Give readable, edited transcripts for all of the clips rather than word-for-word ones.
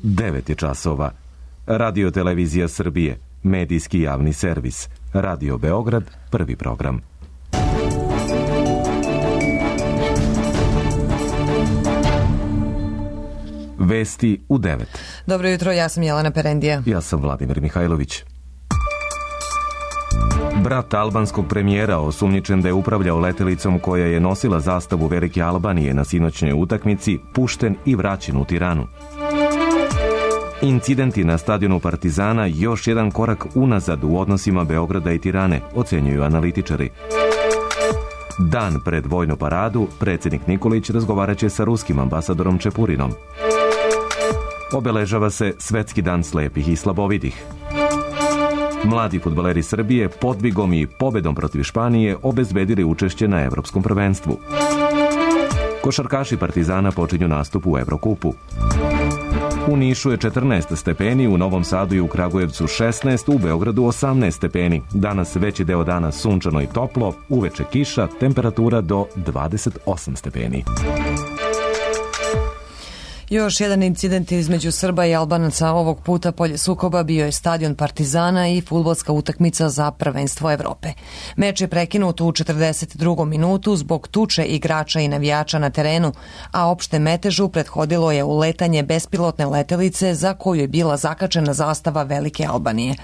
9 je časova. Radio Televizija Srbije, medijski javni servis. Radio Beograd, prvi program. Vesti u 9. Dobro jutro, ja sam Jelena Perendija. Ja sam Vladimir Mihajlović. Brat albanskog premijera, osumnjičen da je upravljao letelicom koja je nosila zastavu Velike Albanije na sinoćnjoj utakmici, pušten i vraćen u Tiranu. Incidenti na stadionu Partizana još jedan korak unazad u odnosima Beograda i Tirane, ocenjuju analitičari. Dan pred vojnu paradu, predsjednik Nikolić razgovaraće sa ruskim ambasadorom Čepurinom. Obeležava se Svetski dan slepih i slabovidih. Mladi fudbaleri Srbije podvigom i pobedom protiv Španije obezbedili učešće na Evropskom prvenstvu. Košarkaši Partizana počinju nastup u Evrokupu. U Nišu je 14 stepeni, u Novom Sadu i u Kragujevcu 16, u Beogradu 18 stepeni. Danas veći deo dana sunčano i toplo, uveče kiša, temperatura do 28 stepeni. Još jedan incident između Srba i Albanaca, ovog puta polje sukoba bio je stadion Partizana i fudbalska utakmica za prvenstvo Evrope. Meč je prekinut u 42. minutu zbog tuče igrača i navijača na terenu, a opšte metežu prethodilo je uletanje bespilotne letelice za koju je bila zakačena zastava Velike Albanije.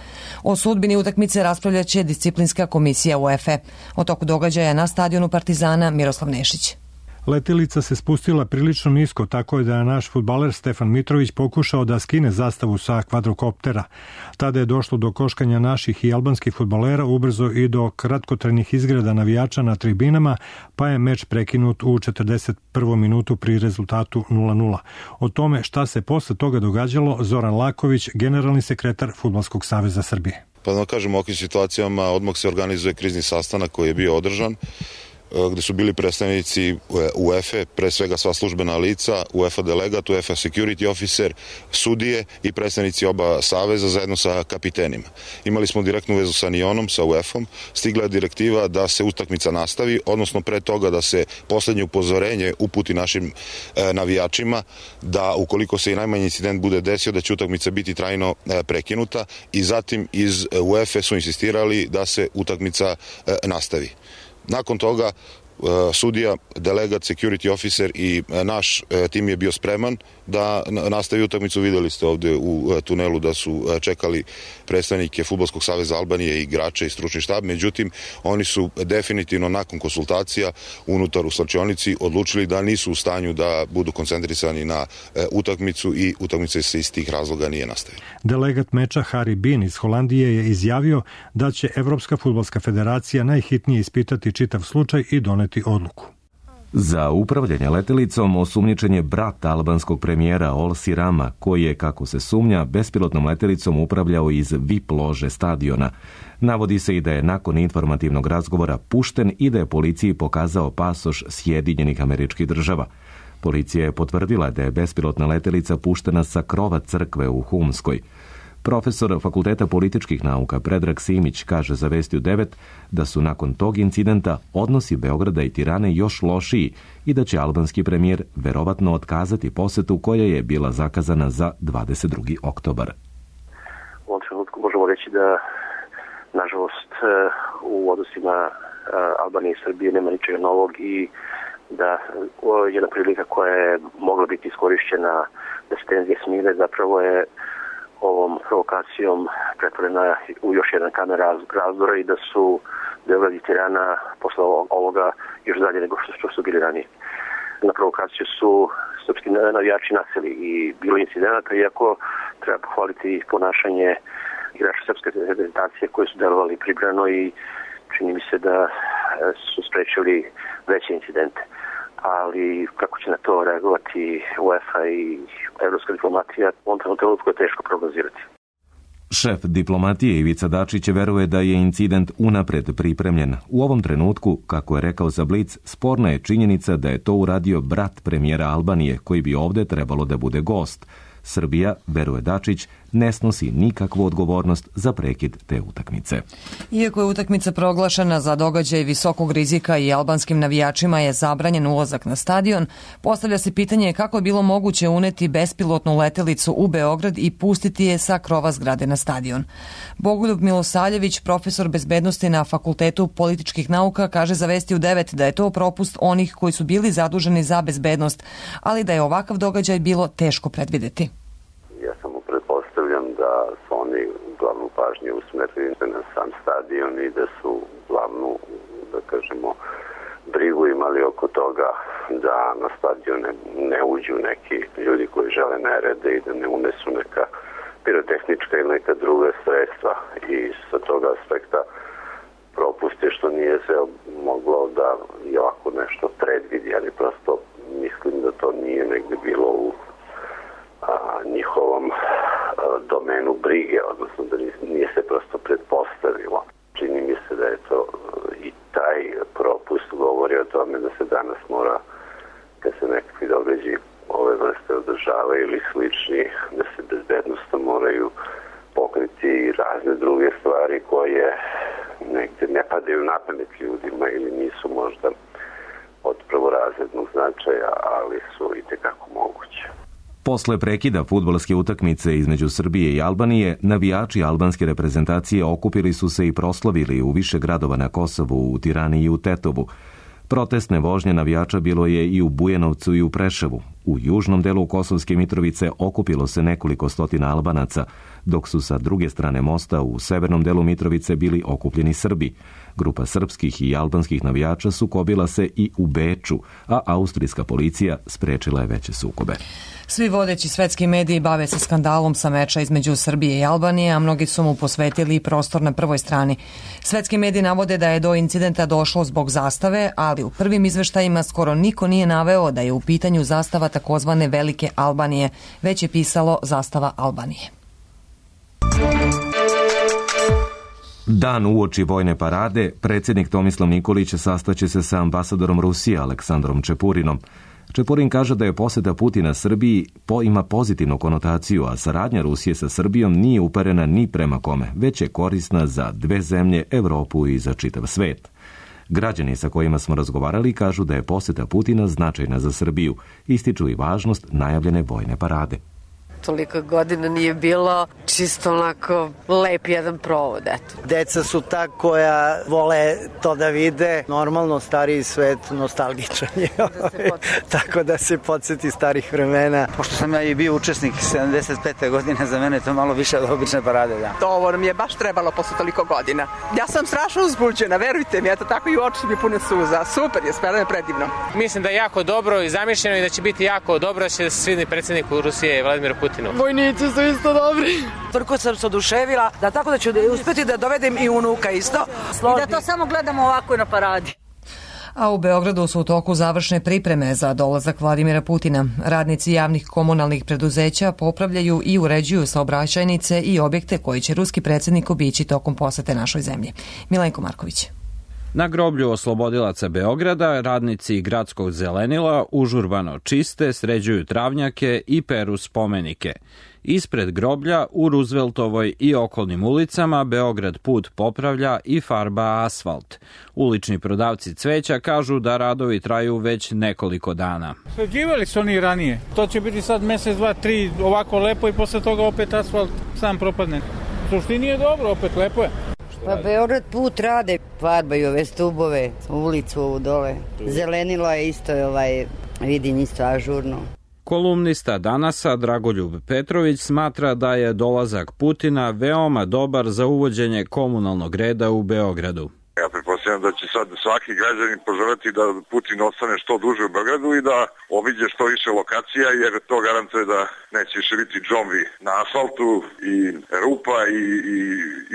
O sudbini utakmice raspravljaće disciplinska komisija UEFA. O toku događaja na stadionu Partizana Miroslav Nešić. Letelica se spustila prilično nisko, tako je da je naš fudbaler Stefan Mitrović pokušao da skine zastavu sa kvadrokoptera. Tada je došlo do koškanja naših i albanskih fudbalera, ubrzo i do kratkotrajnih izgreda navijača na tribinama, pa je meč prekinut u 41. minutu pri rezultatu 0:0. O tome šta se posle toga događalo, Zoran Laković, generalni sekretar Fudbalskog saveza Srbije. Pa da kažem, u ovakvim situacijama odmah se organizuje krizni sastanak koji je bio održan, gde su bili predstavnici UEFA, pre svega sva službena lica, UEFA delegat, UEFA security officer, sudije i predstavnici oba saveza zajedno sa kapitenima. Imali smo direktnu vezu sa NION-om, sa UEFA-om, stigla je direktiva da se utakmica nastavi, odnosno pre toga da se poslednje upozorenje uputi našim navijačima, da ukoliko se i najmanji incident bude desio, da će utakmica biti trajno prekinuta, i zatim iz UEFA su insistirali da se utakmica nastavi. Nakon toga sudija, delegat, security officer i naš tim je bio spreman da nastavi utakmicu. Videli ste ovde u tunelu da su čekali predstavnike Fudbalskog saveza Albanije, igrače i stručni štab, međutim oni su definitivno nakon konsultacija unutar u slačionici odlučili da nisu u stanju da budu koncentrisani na utakmicu i utakmica se iz tih razloga nije nastavila. Delegat meča Harry Bean iz Holandije je izjavio da će Evropska fudbalska federacija najhitnije ispitati čitav slučaj i doneti odluku. Za upravljanje letelicom osumnjičen je brat albanskog premijera Olsi Rama, koji je, kako se sumnja, bespilotnom letelicom upravljao iz VIP lože stadiona. Navodi se i da je nakon informativnog razgovora pušten i da je policiji pokazao pasoš Sjedinjenih Američkih Država. Policija je potvrdila da je bespilotna letelica puštena sa krova crkve u Humskoj. Profesor Fakulteta političkih nauka Predrag Simić kaže za Vesti u 9 da su nakon tog incidenta odnosi Beograda i Tirane još lošiji i da će albanski premijer verovatno otkazati posetu koja je bila zakazana za 22. oktobar. U ovom trenutku možemo reći da, nažalost, u odnosima Albanije i Srbije nema ničega novog i da jedna prilika koja je mogla biti iskorišćena da se tenzije smire zapravo je ovom provokacijom pretvorena u još jedan kamen razdora i da su Beograd i Tirana posle ovoga još dalje nego što su bili ranije. Na provokaciju su srpski navijači naseli i bilo incidenata, iako treba pohvaliti ponašanje igrača srpske reprezentacije koji su delovali pribrano i čini mi se da su sprečili veće incidente. Ali kako će na to reagovati UEFA i evropska diplomatija, u ovom trenutku je teško prognozirati. Šef diplomatije Ivica Dačić veruje da je incident unapred pripremljen. U ovom trenutku, kako je rekao za Blic, sporna je činjenica da je to uradio brat premijera Albanije, koji bi ovde trebalo da bude gost. Srbija, veruje Dačić, ne snosi nikakvu odgovornost za prekid te utakmice. Iako je utakmica proglašena za događaj visokog rizika i albanskim navijačima je zabranjen ulazak na stadion, postavlja se pitanje kako je bilo moguće uneti bespilotnu letelicu u Beograd i pustiti je sa krova zgrade na stadion. Bogoljub Milosavljević, profesor bezbednosti na Fakultetu političkih nauka, kaže za Vesti u 9 da je to propust onih koji su bili zaduženi za bezbednost, ali da je ovakav događaj bilo teško predvideti. Ja samo pretpostavljam da su oni glavnu pažnju usmerili na sam stadion i da su glavnu, da kažemo, brigu imali oko toga da na stadion ne uđu neki ljudi koji žele nerede i da ne unesu neka pirotehnička ili neka druga sredstva. I sa toga aspekta propust je što nije se moglo da i ovako nešto predvidi, ali prosto mislim da to nije negde bilo u njihovom domenu brige, odnosno da nije se prosto pretpostavilo. Čini mi se da je to i taj propust govori o tome da se danas mora, kad se nekakvi događaji ove vrste održavaju ili slični, da se bezbednosno moraju pokriti i razne druge stvari koje negde ne padaju na pamet ljudima ili nisu možda od prvorazrednog značaja, ali su i tekako moguće. Posle prekida fudbalske utakmice između Srbije i Albanije, navijači albanske reprezentacije okupili su se i proslavili u više gradova na Kosovu, u Tirani i u Tetovu. Protestne vožnje navijača bilo je i u Bujanovcu i u Preševu. U južnom delu Kosovske Mitrovice okupilo se nekoliko stotina Albanaca, dok su sa druge strane mosta u severnom delu Mitrovice bili okupljeni Srbi. Grupa srpskih i albanskih navijača sukobila se i u Beču, a austrijska policija sprečila je veće sukobe. Svi vodeći svetski mediji bave se skandalom sa meča između Srbije i Albanije, a mnogi su mu posvetili prostor na prvoj strani. Svetski mediji navode da je do incidenta došlo zbog zastave, ali u prvim izveštajima skoro niko nije naveo da je u pitanju zastava takozvane Velike Albanije, već je pisalo zastava Albanije. Dan uoči vojne parade, predsjednik Tomislav Nikolić sastaće se sa ambasadorom Rusije Aleksandrom Čepurinom. Čepurin kaže da je poseta Putina Srbiji ima pozitivnu konotaciju, a saradnja Rusije sa Srbijom nije uperena ni prema kome, već je korisna za dve zemlje, Evropu i za čitav svet. Građani sa kojima smo razgovarali kažu da je poseta Putina značajna za Srbiju, ističu i važnost najavljene vojne parade. Toliko godina nije bilo, čisto onako lep jedan provod, eto. Deca su ta koja vole to da vide, normalno stariji svet nostalgičan je, tako da se podsjeti starih vremena. Pošto sam ja i bio učesnik 75. godine, za mene je to malo više od obične parade, da. To ovo nam je baš trebalo posle toliko godina. Ja sam strašno uzbuđena, verujte mi, eto tako i oči mi pune suza. Super je, stvarno je predivno. Mislim da je jako dobro i zamišljeno i da će biti jako dobro da će se svidni predsjedniku Rusije Vladimir Putin. Vojnici su isto dobri. Toliko sam se oduševila da tako da ću uspjeti da dovedem i unuka isto. I da to samo gledamo ovako na paradi. A u Beogradu su u toku završne pripreme za dolazak Vladimira Putina. Radnici javnih komunalnih preduzeća popravljaju i uređuju saobraćajnice i objekte koji će ruski predsjednik obići tokom posete našoj zemlji. Milenko Marković. Na groblju oslobodilaca Beograda radnici gradskog zelenila užurbano čiste, sređuju travnjake i peru spomenike. Ispred groblja u Rooseveltovoj i okolnim ulicama Beograd put popravlja i farba asfalt. Ulični prodavci cveća kažu da radovi traju već nekoliko dana. Sređivali su oni ranije. To će biti sad mesec, dva, tri ovako lepo i posle toga opet asfalt sam propadne. U suštini je dobro, opet lepo je. Pa Beograd put rade, farbaju ove stubove, ulicu ovu dole. Zelenilo je isto, vidim isto ažurno. Kolumnista Danasa Dragoljub Petrović smatra da je dolazak Putina veoma dobar za uvođenje komunalnog reda u Beogradu. Ja pretpostavljam da će sad svaki građanin poželjeti da Putin ostane što duže u Beogradu i da obiđe što više lokacija, jer to garantuje da neće više biti džombi na asfaltu i rupa i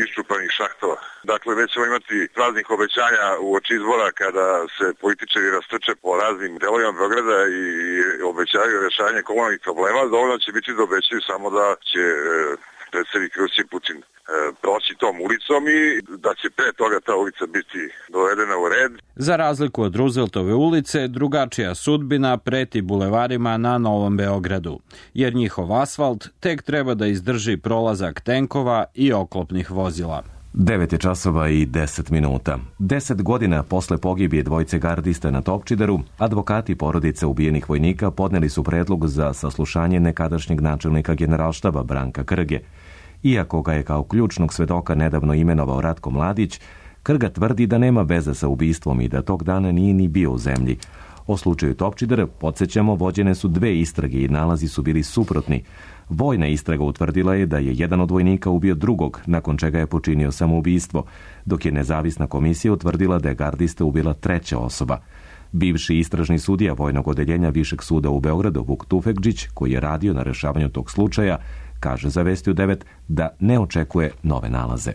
iščupanih šahtova. Dakle, već ćemo imati praznih obećanja uoči izbora kada se političari rastrče po raznim delovima Beograda i obećaju rešavanje komunalnih problema. Dovoljno će biti da obećaju samo da će predsjednik Rusije Putin proći tom ulicom i da će pre toga ta ulica biti dovedena u red. Za razliku od Rooseveltove ulice, drugačija sudbina preti bulevarima na Novom Beogradu, jer njihov asfalt tek treba da izdrži prolazak tenkova i oklopnih vozila. 9 je časova i 10 minuta. 10 godina posle pogibije dvojice gardista na Topčideru, advokati porodice ubijenih vojnika podneli su predlog za saslušanje nekadašnjeg načelnika Generalštaba Branka Krge. Iako ga je kao ključnog svedoka nedavno imenovao Ratko Mladić, Krga tvrdi da nema veze sa ubistvom i da tog dana nije ni bio u zemlji. O slučaju Topčider, podsjećamo, vođene su 2 istrage i nalazi su bili suprotni. Vojna istraga utvrdila je da je jedan od vojnika ubio drugog, nakon čega je počinio samoubistvo, dok je nezavisna komisija utvrdila da je gardiste ubila 3. osoba. Bivši istražni sudija Vojnog odeljenja Višeg suda u Beogradu, Vuk Tufekđić, koji je radio na rešavanju tog slučaja, kaže za Vesti u 9 da ne očekuje nove nalaze.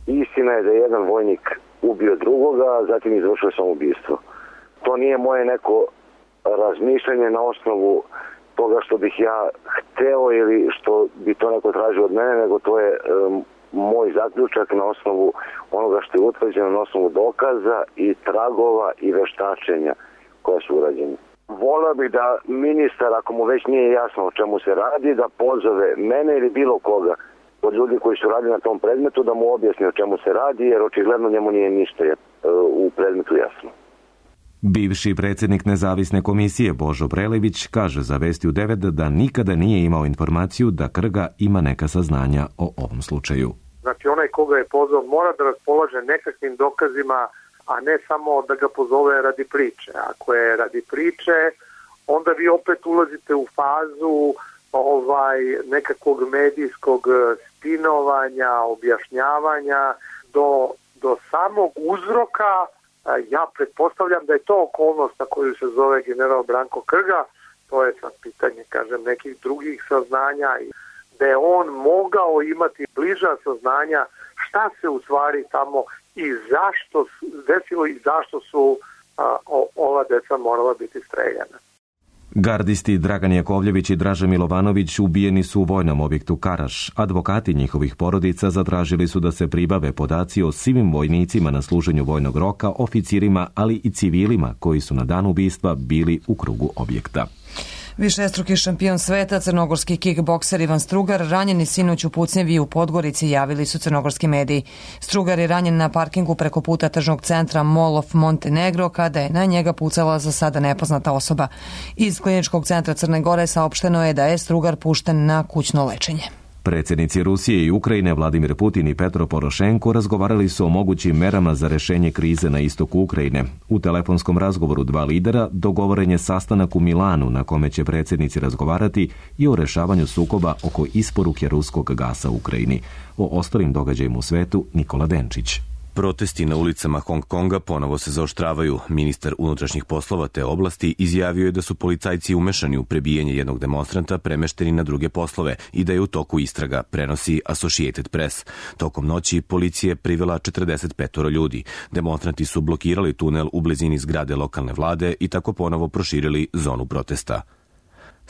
Istina je da je jedan vojnik ubio drugoga, a zatim izvršio samoubistvo. To nije moje neko razmišljanje na osnovu toga što bih ja hteo ili što bi to neko tražio od mene, nego to je moj zaključak na osnovu onoga što je utvrđeno, na osnovu dokaza i tragova i veštačenja koja su urađene. Voleo bih da ministar, ako mu već nije jasno o čemu se radi, da pozove mene ili bilo koga od ljudi koji su radili na tom predmetu da mu objasni o čemu se radi, jer očigledno njemu nije ništa u predmetu jasno. Bivši predsjednik nezavisne komisije Božo Prelević kaže za Vesti u 9 da nikada nije imao informaciju da Krga ima neka saznanja o ovom slučaju. Znači onaj koga je pozvao mora da raspolaže nekakvim dokazima, a ne samo da ga pozove radi priče. Ako je radi priče, onda vi opet ulazite u fazu nekakvog medijskog spinovanja, objašnjavanja do samog uzroka. Ja pretpostavljam da je to okolnost na koju se zove general Branko Krga, to je sad pitanje, kažem, nekih drugih saznanja, da je on mogao imati bliža saznanja šta se u stvari tamo i zašto desilo i zašto su ova deca morala biti streljana. Gardisti Dragan Jakovljević i Draža Milovanović ubijeni su u vojnom objektu Karaš. Advokati njihovih porodica zatražili su da se pribave podaci o svim vojnicima na služenju vojnog roka, oficirima, ali i civilima koji su na dan ubistva bili u krugu objekta. Višestruki šampion sveta, crnogorski kickbokser Ivan Strugar, ranjeni sinoć u pucnjevi u Podgorici, javili su crnogorski mediji. Strugar je ranjen na parkingu preko puta tržnog centra Mall of Montenegro, kada je na njega pucala za sada nepoznata osoba. Iz kliničkog centra Crne Gore saopšteno je da je Strugar pušten na kućno lečenje. Predsjednici Rusije i Ukrajine Vladimir Putin i Petro Porošenko razgovarali su o mogućim merama za rešenje krize na istoku Ukrajine. U telefonskom razgovoru 2 lidera dogovoren je sastanak u Milanu na kome će predsjednici razgovarati i o rešavanju sukoba oko isporuke ruskog gasa u Ukrajini. O ostalim događajima u svetu Nikola Denčić. Protesti na ulicama Hong Konga ponovo se zaoštravaju. Ministar unutrašnjih poslova te oblasti izjavio je da su policajci umešani u prebijanje jednog demonstranta premešteni na druge poslove i da je u toku istraga, prenosi Associated Press. Tokom noći policija je privela 45 ljudi. Demonstranti su blokirali tunel u blizini zgrade lokalne vlade i tako ponovo proširili zonu protesta.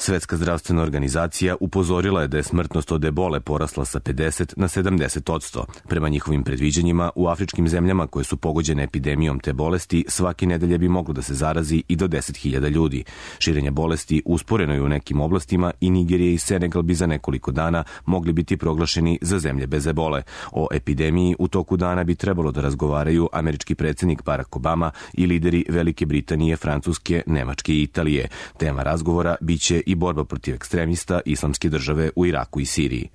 Svetska zdravstvena organizacija upozorila je da je smrtnost od ebole porasla sa 50 na 70%. Prema njihovim predviđanjima, u afričkim zemljama koje su pogođene epidemijom te bolesti, svake nedelje bi moglo da se zarazi i do 10.000 ljudi. Širenje bolesti usporeno je u nekim oblastima i Nigerija i Senegal bi za nekoliko dana mogli biti proglašeni za zemlje bez ebole. O epidemiji u toku dana bi trebalo da razgovaraju američki predsjednik Barack Obama i lideri Velike Britanije, Francuske, Nemačke i Italije. Tema razgovora biće i borba protiv ekstremista Islamske države u Iraku i Siriji.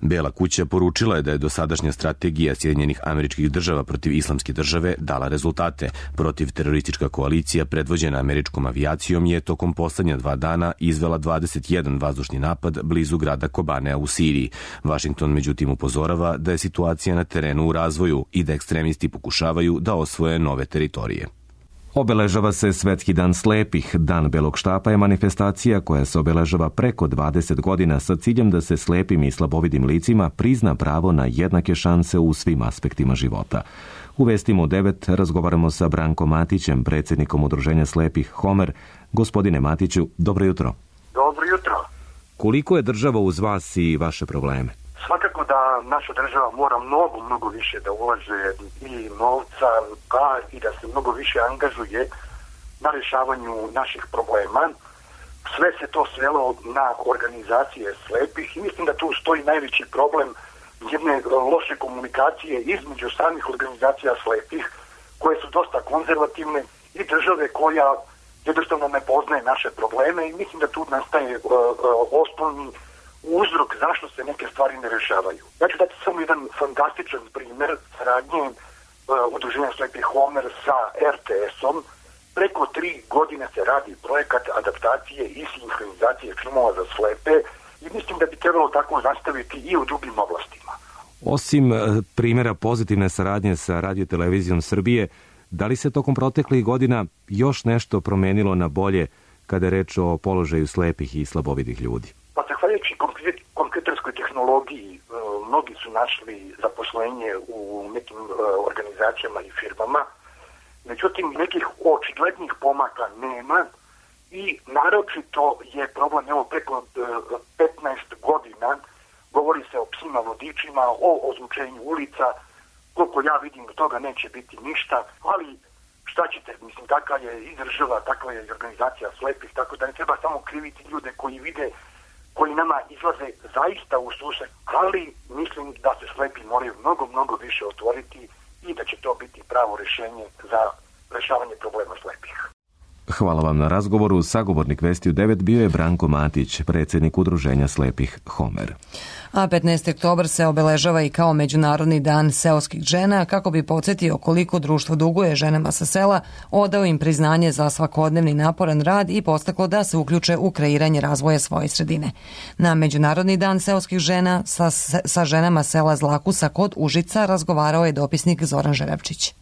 Bela kuća poručila je da je dosadašnja strategija Sjedinjenih Američkih Država protiv Islamske države dala rezultate. Protivteroristička koalicija predvođena američkom avijacijom je tokom poslednja 2 dana izvela 21 vazdušni napad blizu grada Kobanea u Siriji. Washington međutim upozorava da je situacija na terenu u razvoju i da ekstremisti pokušavaju da osvoje nove teritorije. Obeležava se Svetski dan slepih. Dan belog štapa je manifestacija koja se obeležava preko 20 godina sa ciljem da se slepim i slabovidim licima prizna pravo na jednake šanse u svim aspektima života. U Vestima u 9 razgovaramo sa Brankom Matićem, predsjednikom Udruženja slepih Homer. Gospodine Matiću, dobro jutro. Dobro jutro. Koliko je država uz vas i vaše probleme? Svakako da naša država mora mnogo više da ulaže i novca, a i da se mnogo više angažuje na rješavanju naših problema. Sve se to svelo na organizacije slepih i mislim da tu stoji najveći problem jedne loše komunikacije između samih organizacija slepih, koje su dosta konzervativne, i države koja jednostavno ne poznaje naše probleme, i mislim da tu nastaje osnovni uzrok zašto se neke stvari ne rešavaju. Ja ću dati samo jedan fantastičan primjer saradnje udruženja slepih Homer sa RTS-om. Preko 3 godine se radi projekat adaptacije i sinhronizacije filmova za slepe i mislim da bi trebalo tako nastaviti i u drugim oblastima. Osim primjera pozitivne saradnje sa Radio-televizijom Srbije, da li se tokom proteklih godina još nešto promenilo na bolje kada je reč o položaju slepih i slabovidih ljudi? Pa zahvaljujući kompjuterskoj tehnologiji, mnogi su našli zaposlenje u nekim organizacijama i firmama, međutim nekih očiglednih pomaka nema i naročito je problem, evo preko 15 godina govori se o psima vodičima, o ozvučenju ulica. Koliko ja vidim, od toga neće biti ništa, ali šta ćete, mislim, takva je i država, takva je i organizacija slepih, tako da ne treba samo kriviti ljude koji vide, koji nama izlaze zaista u susret, ali mislim da se slepi moraju mnogo više otvoriti i da će to biti pravo rješenje za rešavanje problema slepih. Hvala vam na razgovoru. Sagovornik Vesti u 9 bio je Branko Matić, predsjednik udruženja slepih Homer. A 15. oktobar se obeležava i kao Međunarodni dan seoskih žena, kako bi podsjetio koliko društvo duguje ženama sa sela, odao im priznanje za svakodnevni naporan rad i podstaklo da se uključe u kreiranje razvoja svoje sredine. Na Međunarodni dan seoskih žena sa ženama sela Zlakusa kod Užica razgovarao je dopisnik Zoran Žerevčić.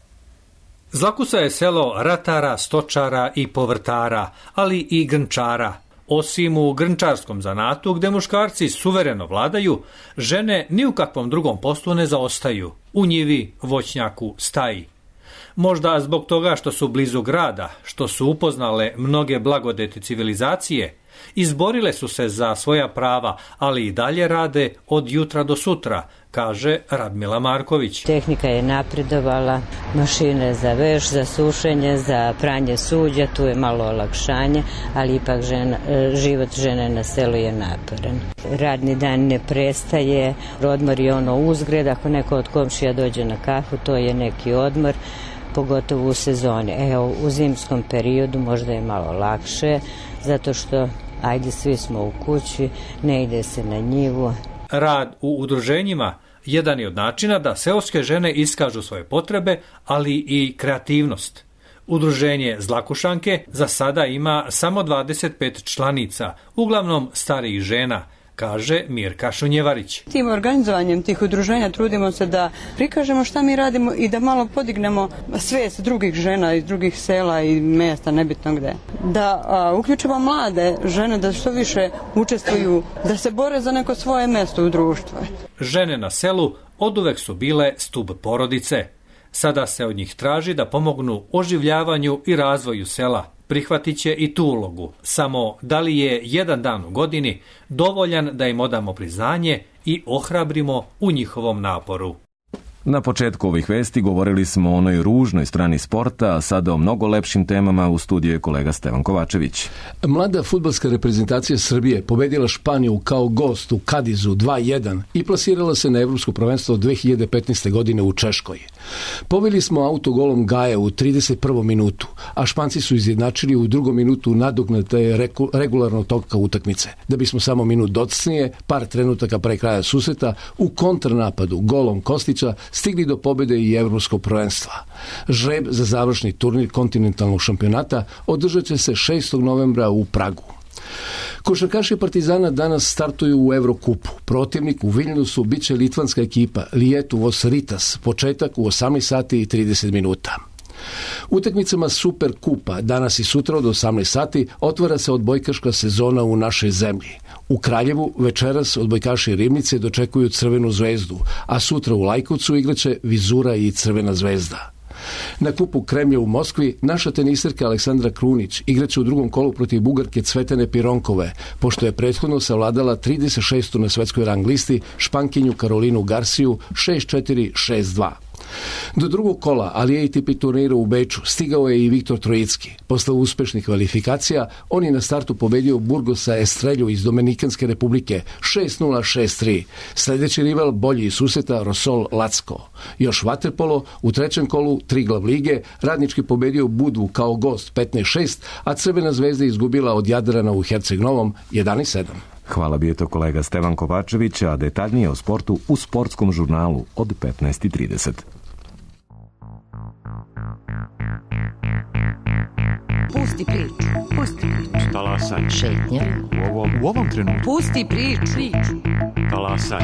Zlakusa je selo ratara, stočara i povrtara, ali i grnčara. Osim u grnčarskom zanatu, gde muškarci suvereno vladaju, žene ni u kakvom drugom poslu ne zaostaju. U njivi, voćnjaku, staji. Možda zbog toga što su blizu grada, što su upoznale mnoge blagodeti civilizacije, izborile su se za svoja prava, ali i dalje rade od jutra do sutra, kaže Radmila Marković. Tehnika je napredovala, mašine za veš, za sušenje, za pranje suđa, tu je malo olakšanje, ali ipak život žene na selu je naporan. Radni dan ne prestaje, odmor je ono uzgred, ako neko od komšija dođe na kafu, to je neki odmor, pogotovo u sezoni. Evo, u zimskom periodu možda je malo lakše, zato što, ajde, svi smo u kući, ne ide se na njivu. Rad u udruženjima jedan je od načina da seoske žene iskažu svoje potrebe, ali i kreativnost. Udruženje Zlakušanke za sada ima samo 25 članica, uglavnom starijih žena, kaže Mirka Šunjevarić. Tim organizovanjem tih udruženja trudimo se da prikažemo šta mi radimo i da malo podignemo svijest drugih žena iz drugih sela i mjesta, nebitno gde. Da uključimo mlade žene da što više učestvuju, da se bore za neko svoje mjesto u društvu. Žene na selu oduvek su bile stub porodice. Sada se od njih traži da pomognu oživljavanju i razvoju sela. Prihvatit će i tu ulogu. Samo da li je jedan dan u godini dovoljan da im odamo priznanje i ohrabrimo u njihovom naporu. Na početku ovih vesti govorili smo o onoj ružnoj strani sporta, a sada o mnogo lepšim temama. U studiju je kolega Stevan Kovačević. Mlada fudbalska reprezentacija Srbije pobedila Španiju kao gost u Kadizu 2-1 i plasirala se na Evropsko prvenstvo 2015. godine u Češkoj. Pobedili smo autogolom Gaja u 31. minutu, a Španci su izjednačili u 2. minutu nadoknade regularnog toka utakmice. Da bismo samo minut docnije, par trenutaka pre kraja susreta, u kontranapadu golom Kostića stigli do pobjede i Evropskog prvenstva. Žreb za završni turnir kontinentalnog šampionata održat će se 6. novembra u Pragu. Košarkaši Partizana danas startuju u Evrokupu. Protivnik u Viljnusu biće litvanska ekipa Lietuvos Rytas, početak u 18 sati i 30 minuta. Utakmicama Super Kupa danas i sutra od 18 sati otvara se odbojkaška sezona u našoj zemlji. U Kraljevu večeras odbojkaši Rivnice dočekuju Crvenu zvezdu, a sutra u Lajkovcu igraće Vizura i Crvena zvezda. Na kupu Kremlja u Moskvi naša teniserka Aleksandra Krunić igraće u drugom kolu protiv Bugarke Cvetane Pironkove, pošto je prethodno savladala 36. na svetskoj rang listi Špankinju Karolinu Garciju 6-4, 6-2. Do drugog kola ATP turnira u Beču stigao je i Viktor Trojicki. Posle uspešnih kvalifikacija, on je na startu pobedio Burgosa Estrelju iz Dominikanske republike 6-0, 6-3. Sljedeći rival bolji iz susreta Rosol Lacko. Još vaterpolo, u trećem kolu Triglav lige, Radnički pobedio Budvu kao gost 15-6, a Crvena zvezda izgubila od Jadrana u Herceg Novom 11-7. Hvala, bio je to kolega Stevan Kovačević, a detaljnije o sportu u sportskom žurnalu od 15:30. Pusti priču. Talasaj. Šetnja. U ovom trenutku. Pusti priču. Talasaj.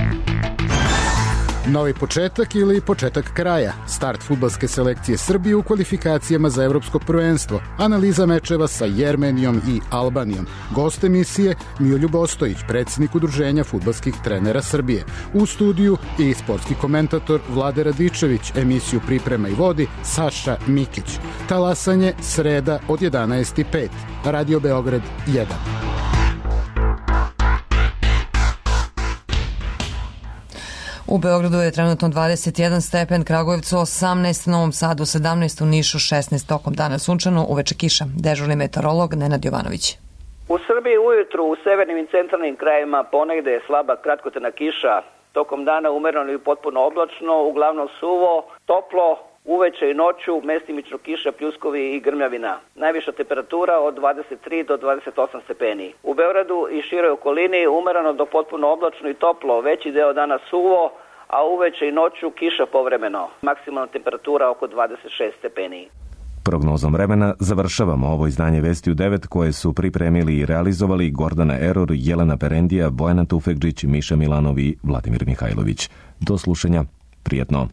Novi početak ili početak kraja. Start fudbalske selekcije Srbije u kvalifikacijama za evropsko prvenstvo. Analiza mečeva sa Jermenijom i Albanijom. Gost emisije Miroljub Ostojić, predsjednik Udruženja fudbalskih trenera Srbije. U studiju i sportski komentator Vlade Radičević. Emisiju priprema i vodi Saša Mikić. Talasanje sreda od 11:05. Radio Beograd 1. U Beogradu je trenutno 21 stepen, Kragujevcu 18, Novom Sadu 17, u Nišu 16, tokom dana sunčano, uveče kiša. Dežurni meteorolog Nenad Jovanović. U Srbiji ujutru u severnim i centralnim krajevima ponegde je slaba kratkotrajna kiša. Tokom dana umereno i potpuno oblačno, uglavnom suvo, toplo, uveče i noću mestimično kiša, pljuskovi i grmljavina. Najviša temperatura od 23 do 28 stepeni. U Beogradu i široj okolini umereno do potpuno oblačno i toplo, veći deo dana suvo, a uveče i noću kiša povremeno. Maksimalna temperatura oko 26 stepeni. Prognozom vremena završavamo ovo izdanje Vesti u 9 koje su pripremili i realizovali Gordana Eror, Jelena Perendija, Bojana Tufekđić, Miša Milanov i Vladimir Mihajlović. Do slušanja. Prijetno.